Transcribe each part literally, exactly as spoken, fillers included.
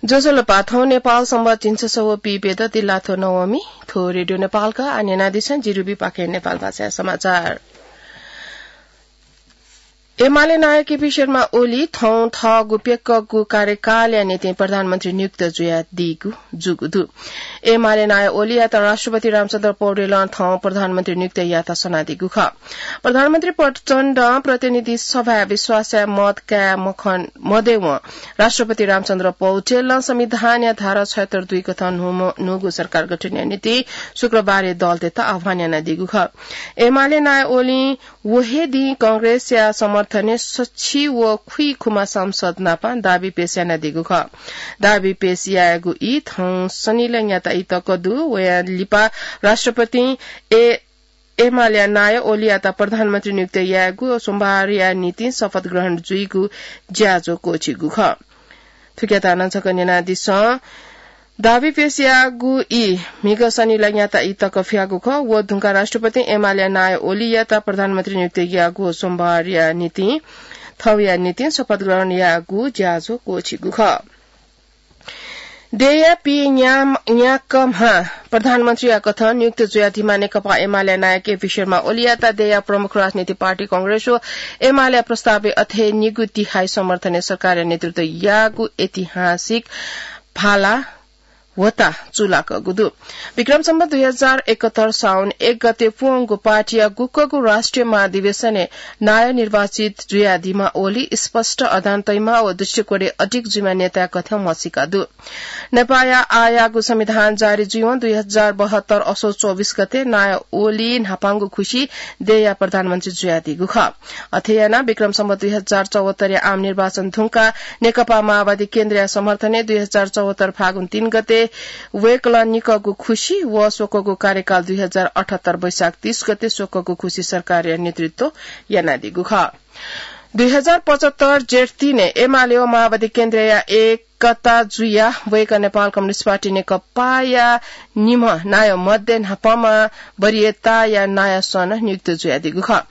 ज्वजलपा, थौं नेपाल संवत् झिंछसः व पीप्यदँ दिल्लाथ्व नवमी। थ्व रेडियो नेपालया आः न्यनादिसँ, जि रुबी पाखें नेपाल भाषाया समाचार। एमाले नायः केपी शर्मा ओली थौं थःगु प्यक्कःगु कार्यकालया निंतिं प्रधानमन्त्री नियुक्त जुयादीगु जूगु दु। एमाले नायः ओलीयात राष्ट्रपति रामचन्द्र पौडेलं थौं प्रधानमन्त्री नियुक्त यायेत सनादीगु खः। प्रधानमन्त्री प्रचण्डं प्रतिनिधि सभाय् विश्वासया मत काये मखन मदयेवं राष्ट्रपति रामचन्द्र पौडेलं संविधानया धारा छयहत्तर दुई कथं न्हूम्ह, न्हूगु सरकार गठनया निंतिं शुक्रबारय् दलतय्त आह्वान यानादीगु खः। एमाले नायः ओलीं व हे दिं कांग्रेसया समर्थनय् सछि व खुइखुमा सांसद नाप दाबी पेश यानादीगु खः। दाबी पेश यायेगु ई थौं शनिलय् न्याता ई तक दु। वया लिपा राष्ट्रपतिं ए-, एमालेया नायः ओलीयात प्रधानमन्त्री नियुक्त यायेगु व सोमबारया निंतिं शपथ ग्रहण जुइगु ज्याझ्वः क्वःछिइगु खः। थुकियात नं छकः न्यनादिसँ। दाबी पेश याःगु ई म्हिगः शनिलय् न्याता ई तक फियागु खः। व धुंकाः राष्ट्रपतिं एमालेया नायः ओलीयात प्रधानमन्त्री नियुक्त याःगु व सोमबारया निंतिं थौंया निंतिं शपथ ग्रहण याःगु ज्याझ्वः क्वःछिइगु खः। देय्‌या पीन्याम्ह प्रधानमन्त्रीया कथं नियुक्त जुयादीम्ह नेकपा एमालेया नायः केपी शर्मा ओलीयात देय्‌या प्रमुख राजनीतिक पार्टी कांग्रेस व एमालेया प्रस्तावय् अथे निगू तिहाई समर्थनय् सरकारया नेतृत्व याःगु ऐतिहासिक भाला ह्वःताः चूलाकःगु दु। विक्रम सम्वत् दुई हजार एकहत्तर साउन एक गते प्वंगु पार्टीया गुकःगु राष्ट्रिय महाधिवेशनय् नायः निर्वाचित जुयादीम्ह ओली स्पष्ट अडान तइम्ह व दृष्टिकोणय् अडिग जुइम्ह नेताया कथं म्हसीका दु। नेपाःया आःयागु संविधान जारी जुइवं दुई हजार बहत्तर असोज चौबिस गते नायः ओली न्हापांगु खुसि देय्‌या प्रधानमन्त्री जुयादीगु खः। अथे यानाः विक्रम सम्वत् दुई हजार चौहत्तरया आम निर्वाचन धुंकाः नेकपा माओवादी केन्द्रया समर्थनय् दुई हजार चौहत्तर फागुन तीन गते वय्‌कलं निकःगु खुसि व स्वक्वःगु कार्यकाल दुई हजार अठहत्तर वैशाख तीस गते स्वक्वःगु खुसि सरकारया नेतृत्व यानादीगु खः। दुई हजार पचहत्तर जेठ तीनय् एमाले व माओवादी केन्द्रया एकता जुयाः वय्‌कः नेपाल कम्युनिस्ट पार्टी नेकपाया निम्ह नायः मध्ये न्हापांम्ह वरीयताया नायः सं नियुक्त जुयादीगु खः।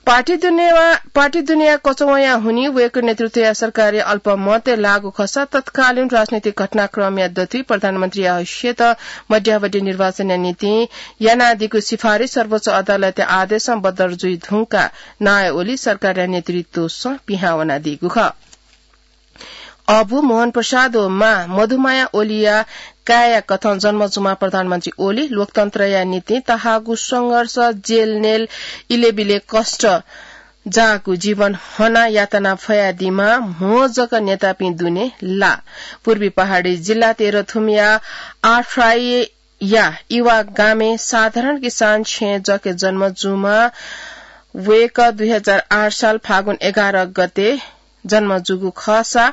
पार्टी दुनेया, पार्टी दुनेया कचवँया हुनिं वय्‌कःया नेतृत्वया सरकारय् अल्पमतय् लाःगु खःसा तत्कालीन राजनीतिक घटनाक्रमया दथुइ प्रधानमन्त्रीया हैसियत मध्यावधि निर्वाचनया निंतिं यानादीगु सिफारिस सर्वोच्च अदालतया आदेशं बदर जुइ धुंकाः नायः ओली सरकारया नेतृत्वसं पिहां वनादीगु खः। अबु मोहन प्रसाद व मां मधुमाया ओलीया काय्‌या कथं जन्म जूम्ह प्रधानमन्त्री ओली लोकतन्त्रया निंतिं तःहाःगु संघर्ष, जेलनेल, इलेबिले कष्ट जाःगु जीवन हनाः यातना फयादीम्ह म्हो जक नेतापिं दुने लाः। पूर्वी पहाडी जिल्ला तेह्रथुमया आठराईया इवा गामय् साधारण किसान छेँ जकय् जन्म जूम्ह वय्‌कः दुई हजार आठ साल फागुन एघार गते जन्म जूगु खःसा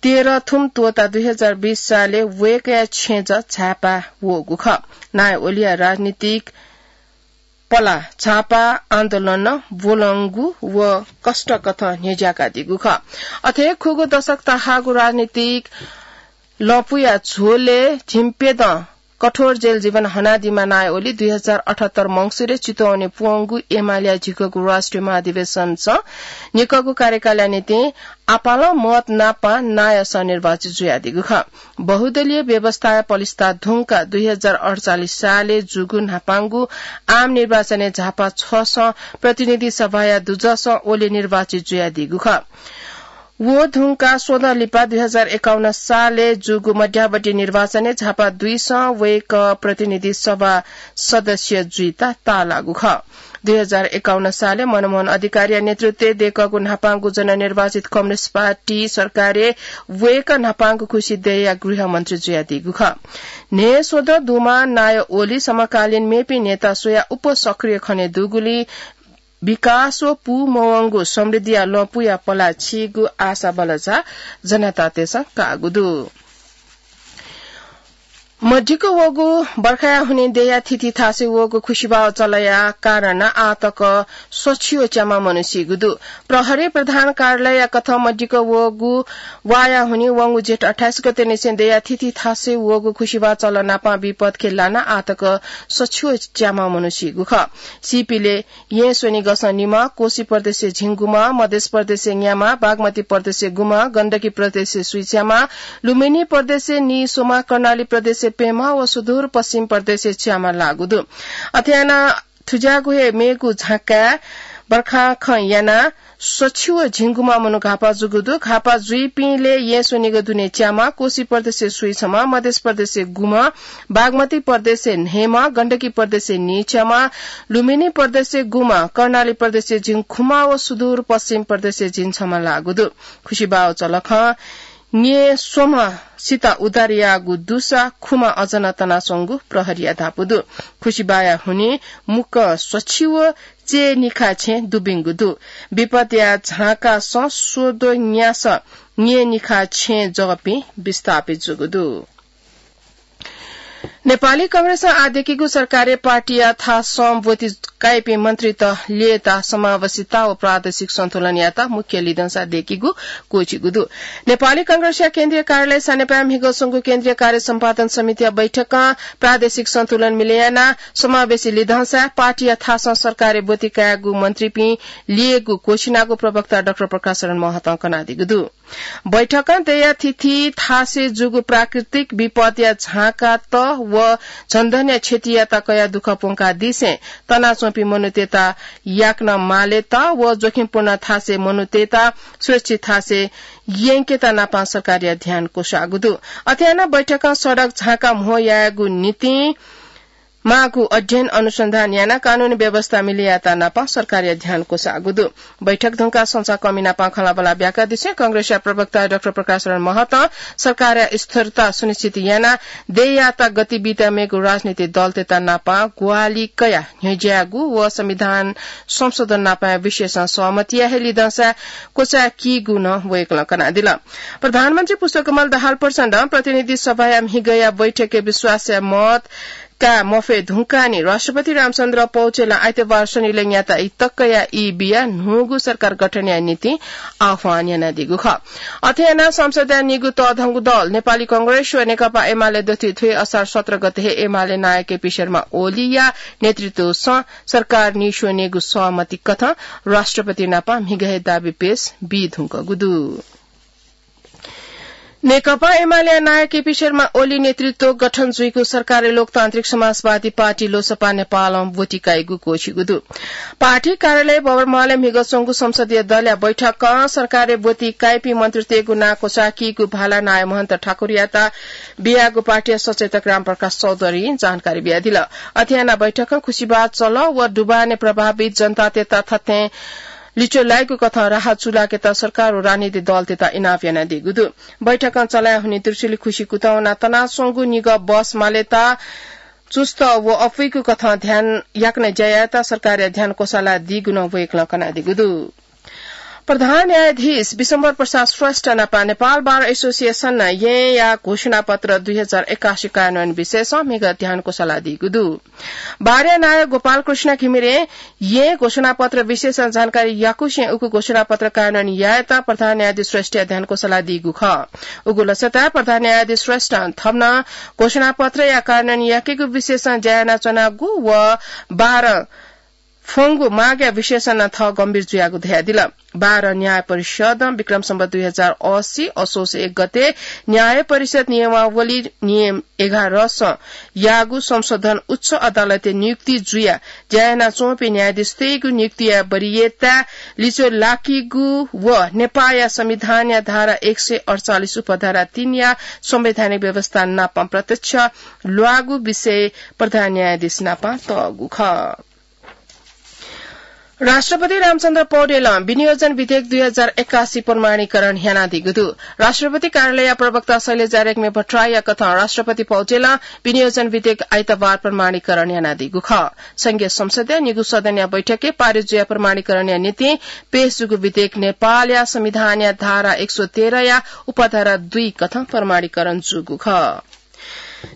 तेह्रथुम त्वःताः दुई हजार बीस सालय् वय्‌कःया छेँजः झाय्‌पाः वःगु खः। नायः ओलीया राजनीतिक पला झापा आन्दोलनं ब्वलंगु व कष्टकथं न्ह्यज्याकादीगु खः। अथे खुगू दशक तःहाःगु राजनीतिक लँपुया झोलय् झिंप्यदँ कठोर जेल जीवन हनादीम्ह नायः ओली दुई हजार अठहत्तर मंसिरय् चितवनय् प्वंगु एमालेया झिगूगु राष्ट्रिय महाधिवेशनसं निकःगु कार्यकालया निंतिं आपालं मत नापं नायः सं निर्वाचित जुयादीगु खः। बहुदलीय व्यवस्थाया पलिस्था धुंकाः दुई हजार अठचालिस सालय् जूगु न्हापांगु आम निर्वाचनय् झापा छसं प्रतिनिधि सभाया दुजसं ओली निर्वाचित जुयादीगु खः। व धुंकाः स्वदँ लिपा दुई हजार एकाउन्न सालय् जूगु मध्यावधि निर्वाचनय् झापा दुइसं वय्‌कः प्रतिनिधि सभा सदस्य जुइत ताःलाःगु खः। दुई हजार एकाउन्न सालय् मनमोहन अधिकारीया नेतृत्वय् दय्‌कःगु न्हापांगु जननिर्वाचित कम्युनिस्ट पार्टी सरकारय् वय्‌कः न्हापांगु खुसि देय्‌या गृहमन्त्री जुयादीगु खः। न्हय्‌स्वदँ दुम्ह नायः ओली समकालीन मेपिं नेता स्वयाः उप सक्रिय खने दुगुलिं विकास व पूमवंगु समृद्धिया लँपुया पला छीगु आशा बलचा जनतातय्‌सं काःगु दु। मदिक्क वःगु बर्खाया हुनिं देया थिथि थासय् वःगु खुसिबाः चलया कारण आः तक सछिव च्यामा मनू सीगु दु। प्रहरी प्रधान कार्यालय कथं मदिक्क वःगु वाया हुनिं वंगु जेठ अट्ठाइस गते निसें देया थिथि थासय् वःगु खुसिबाः चल नापं विपद खँय् लानाः आः तक सछिव च्यामा मनू सीगु खः। सीपिले येँ स्वनिगसं निम्ह, कोशी प्रदेशय् झिंगुम्ह, मधेश प्रदेशय् न्याम्ह, बागमती प्रदेशय् गुम्ह, गण्डकी प्रदेशय् स्वीच्याम्ह, लुम्बिनी प्रदेशय् नीस्वम्ह, कर्णाली प्रदेशय् प्यम्ह व सुदूर पश्चिम प्रदेशय् च्याम्ह लाःगु दु। अथे यानाः थुज्याःगु हे मेगु झाँक्काय् बर्खा खँ यानाः सछिव झिंगुम्ह मनू घाःपाः जूगु दु। घाःपाः जुइपिंले येँ स्वनिगः दुने च्याम्ह, कोशी प्रदेशय् स्वीछम्ह, मधेश प्रदेशय् गुम्ह, बागमती प्रदेशय् न्हय्म्ह, गण्डकी प्रदेशय् नीच्याम्ह, लुम्बिनी प्रदेशय् गुम्ह, कर्णाली प्रदेशय् झिंखुम्ह व सुदूर पश्चिम प्रदेशय् झिंछम्ह लाःगु दु। खुसिबाः चलखं न्येस्वम्ह सित उद्धार याःगु दुसा खुम्ह अझ नं तनाच्वंगु प्रहरीया धापू दु। खुसिबाःया हुनिं मुक्कं सछिव चय्निखा छेँ दुबिंगु दु। विपदया झाँकासं स्वद्वः न्यासः न्येनिखा छेँ जःपिं विस्थापित जूगु दु। नेपाली कांग्रेसं आः दय्कीगु सरकारय् पार्टीया थासं ब्वति काइपिं मन्त्रीत ल्ययेत समावेशिता व प्रादेशिक सन्तुलनयात मुख्य लिधंसा दय्कीगु क्वःछिगु दु। नेपाली कांग्रेसया केन्द्रीय कार्यालय सानेपाय् म्हिगः च्वंगु केन्द्रीय कार्य सम्पादन समितिया बैठकं प्रादेशिक सन्तुलन मिले यानाः समावेशी लिधंसा पार्टीया थासं सरकारय् ब्वति कायेगु मन्त्रीपिं ल्ययेगु क्वःछिनागु प्रवक्ता डाक्टर प्रकाश शरण महतं कनादीगु दु। बैठकं देया थिथि थासय् जूगु प्राकृतिक विपदया झाँकात व जनधनया क्षतियात कयाः दुःख प्वंकादीसें तनाच्वंपिं मनूतय्त याकनं मालेत व जोखिमपूर्ण थासय् मनूतय्त सुरक्षित थासय् यंकेत नापं सरकारया ध्यान क्वसाःगु दु। अथे यानाः बैठकं सडक झाँका म्हो यायेगु निंतिं माःगु अध्ययन अनुसन्धान यानाः कानूनी व्यवस्था मिले यायेत नापं सरकारया ध्यान क्वसाःगु दु। बैठक धुंकाः संचारकर्मी नापं खँल्हाबल्हा ब्याकादिसें कांग्रेसया प्रवक्ता डाक्टर प्रकाश शरण महतं सरकारया स्थिरता सुनिश्चित यानाः देयात गति बीत मेगु राजनीतिक दलतय्त नापं ग्वाहालि कयाः न्ह्यज्यायेगु व संविधान संशोधन नापंया विषयसं सहमतिया हे लिधंसा क्वचाय्कीगु नं वय्कलं कनादिल। प्रधानमन्त्री पुष्पकमल दाहाल प्रचण्डं प्रतिनिधि सभाया म्हिगःया बैठकय् विश्वासया मत काये मफये धुंकाः नि राष्ट्रपति रामचन्द्र पौडेलं आइतबार स्वनिलय् न्याता ई तकया ई बियाः न्हूगु सरकार गठनया निंतिं आह्वान यानादीगु खः। अथे यानाः संसदया निगू तःधंगु दल नेपाली कांग्रेस व नेकपा एमाले दथुइ थ्व हे असार सत्र गते हे एमाले नायः केपी शर्मा ओलीया नेतृत्वसं सरकार निस्वनेगु सहमति कथं राष्ट्रपति नापं म्हिगः हे दाबी पेश बी धुंकूगु दु। नेकपा एमालेया नायः केपी शर्मा ओली नेतृत्व गठन जुइगु सरकारय् लोकतान्त्रिक समाजवादी पार्टी लोसपा नेपालं ब्वति काइगु क्वःछिगु दु। पार्टी कार्यालय भवन महलय् म्हिगः च्वंगु संसदीय दलया बैठकं सरकारय् ब्वति काइपिं मन्त्रीतय्गु नां क्वचाय्कीगु भाला नायः महन्त ठाकुरयात बियागु पार्टीया सचेतक रामप्रकाश चौधरीं जानकारी बियादिल। अथे यानाः बैठकं खुसिबाः चल व दुबानय् प्रभावित जनतातय्त थथें लिच्वः लाइगु कथं राहत चूलाकेत सरकार व राजनीतिक दलतय्त इनाप यानादीगु दु। बैठकं चलाय् हुनिं त्रिशुली खुसि कुतः वनाः तनाच्वंगु निगः बस मालेत चुस्त व अप्वइगु कथं ध्यान याकनं ज्या यायेत सरकारया ध्यान क्वसालादीगु नं वय्कलं कनादीगु दु। प्रधान न्यायाधीश विश्वम्भर प्रसाद श्रेष्ठ नापं नेपाल बार एसोसिएसनं येँया घोषणापत्र दुई हजार एकासी कार्यान्वयन विषयसं म्हिगः ध्यान क्वसालादीगु दु। बारया नायः गोपाल कृष्ण घिमिरें येँ घोषणापत्र विषयसं जानकारी याकुसें उगु घोषणापत्र कार्यान्वयन यायेत प्रधान न्यायाधीश श्रेष्ठया ध्यान क्वसालादीगु खः। उगु लसताय् प्रधान न्यायाधीश श्रेष्ठं थन नं घोषणापत्रया कार्यान्वयन याकेगु विषयसं ज्या यानाच्वनागु व बार फ्वंगु मागया विषयसं नं थः गम्भीर जुयागु धयादिल। बार न्याय परिषदं विक्रम सम्वत दुई हजार असी असोज एक गते न्याय परिषद नियमावली नियम एघारसं याःगु संशोधन उच्च अदालतय् नियुक्ति जुयाः ज्या यानाच्वंपिं न्यायाधीशतय्गु नियुक्तिया वरीयताय् लिच्वः लाकीगु व नेपाःया संविधानया धारा एक सय अड्चालिस उपधारा तीनया संवैधानिक व्यवस्था नाप प्रत्यक्ष ल्वाःगु विषय प्रधान न्यायाधीश नाप तःगु खः। राष्ट्रपति रामचन्द्र पौडेलं विनियोजन विधेयक दुई हजार एकासी प्रमाणीकरण यानादीगु दु। राष्ट्रपति कार्यालयया प्रवक्ता शैलजा रेग्मी भट्टराईया कथं राष्ट्रपति पौडेलं विनियोजन विधेयक आइतबार प्रमाणीकरण यानादीगु खः। संघीय संसदया निगू सदनया बैठकय् पारित जुयाः प्रमाणीकरणया निंतिं पेश जूगु विधेयक नेपालया संविधानया धारा एक सय तेह्रया उपधारा दुई कथं प्रमाणीकरण जूगु खः।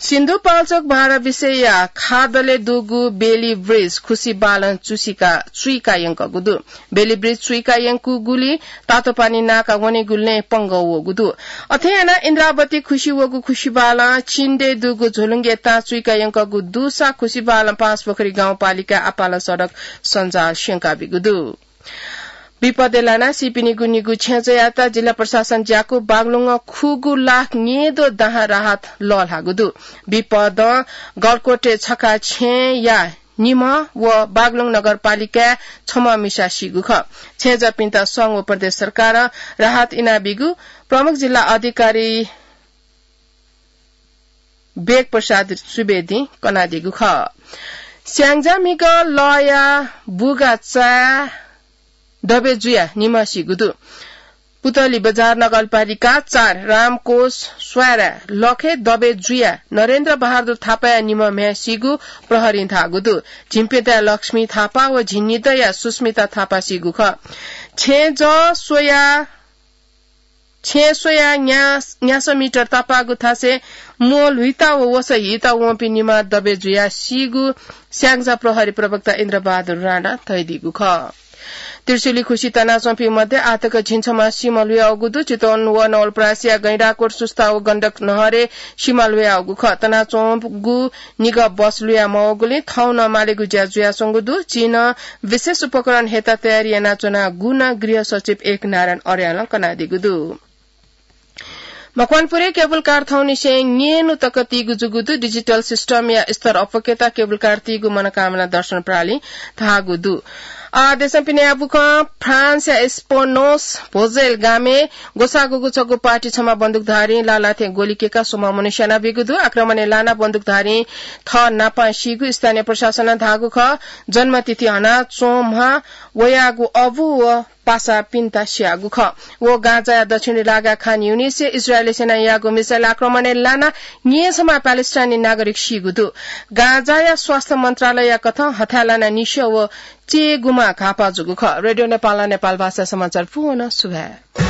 सिन्धुपाल्चोक बाह्र विषयया खादले दुगु बेली ब्रिज खुसी बालं चुसिका चुइका यंकगु दु। बेली ब्रिज चुइका यंकूगुली तातोपानी नाका वनेगुलिं पंगः वःगु दु। अथे यानाः इन्द्रावती खुसी वःगु खुसी बालं चिन्डे दुगु झोलुङ्गे तां चुइका यंकगु दुसा खुसी बालं पाँचपोखरी गाउँपालिका आपालं सडक सञ्जाल स्यंकाबीगु दु। विपदय् लानाः सीपिनिगु निगू छेँजःयात जिल्ला प्रशासन ज्याकू बागलुङं खुगू लाख न्येद्वः दाहां राहत लःल्हाःगु दु। विपदं गलकोटे छखा छेँया निम्ह व बागलुङ नगरपालिकाय् छम्ह मिसा सीगु खः। छेँजःपिन्त संघ व प्रदेश सरकारं राहत इनाबीगु प्रमुख जिल्ला अधिकारी वेग प्रसाद सुवेदीं कनादीगु खः। स्याङ्जा म्हिगः लःया बुगा चाय् दबे जुयाः निम्ह सीगु दु। पुतली बजार नगरपालिका चार रामकोष स्वाय्रा लखे दबे जुयाः नरेन्द्र बहादुर थापाया निम्ह म्ह्याय् सीगु प्रहरीं धाःगु दु। झिंप्यदँया लक्ष्मी थापा व झिंनिदँया सुस्मिता थापा सीगु खः। छेँजः स्वया छेँ स्वयाः न्या-, न्यासः मिटर तापाःगु थासय् म्वःल्हुइता व वसः हीता वंपिं निम्ह दबे जुयाः सीगु स्याङ्जा प्रहरी प्रवक्ता इन्द्रबहादुर राणां धयादीगु खः। त्रिशुली खुसी तनाच्वंपिं मध्ये आःतक झिंछम्ह सिमा ल्हुयावःगु दु। चितवन व नवलपरासीया गैंडाकोट सुस्ता व गण्डक नहरय् सिमा ल्हुयावःगु खः। तनाच्वंगु निगः बस ल्हुया मवःगुलिं थौं नं मालेगु ज्या जुयाच्वंगु दु। झी नं विशेष उपकरण हयेत तयारी यानाच्वनागु नं गृह सचिव एक नारायण अर्यालं कनादीगु दु। मकवानपुरय् केबुल कार थौंनिसें न्येन्हु तक तीगु जूगु दु। डिजिटल सिस्टमया स्तर अप्वकेत केबुल कार तीगु मनकामना दर्शन प्रालीं धाःगु दु। आ, देशं पिने बुखं फ्रान्सया एस्पोनोस भोजेल गामय् ग्वसाःगुगु छगू पार्टी छम्ह बन्दुकधारीं लालाथें ग्वलि कय्काः स्वम्ह मनू स्यानाबीगु दु। आक्रमणय् लानाः बन्दुकधारीं थः नापां सीगु स्थानीय प्रशासनं धाःगु खः। जन्मतिथि हनाच्वंम्ह वयागु अबु व पासापिन्त स्याःगु खः। व गाजाया दक्षिणी लागा खान युनिसय् इजरायली सेनां याःगु मिसाइल आक्रमणय् लानाः न्येछम्ह प्यालेस्टाइनी नागरिक सीगु दु। गाजाया स्वास्थ्य मन्त्रालयया कथं हथाय् लानाः निस्यः व चय्‌गुम्ह घाःपाः जूगु खः। रेडियो नेपालं नेपाल भाषा समाचार पूवन सुभाय्।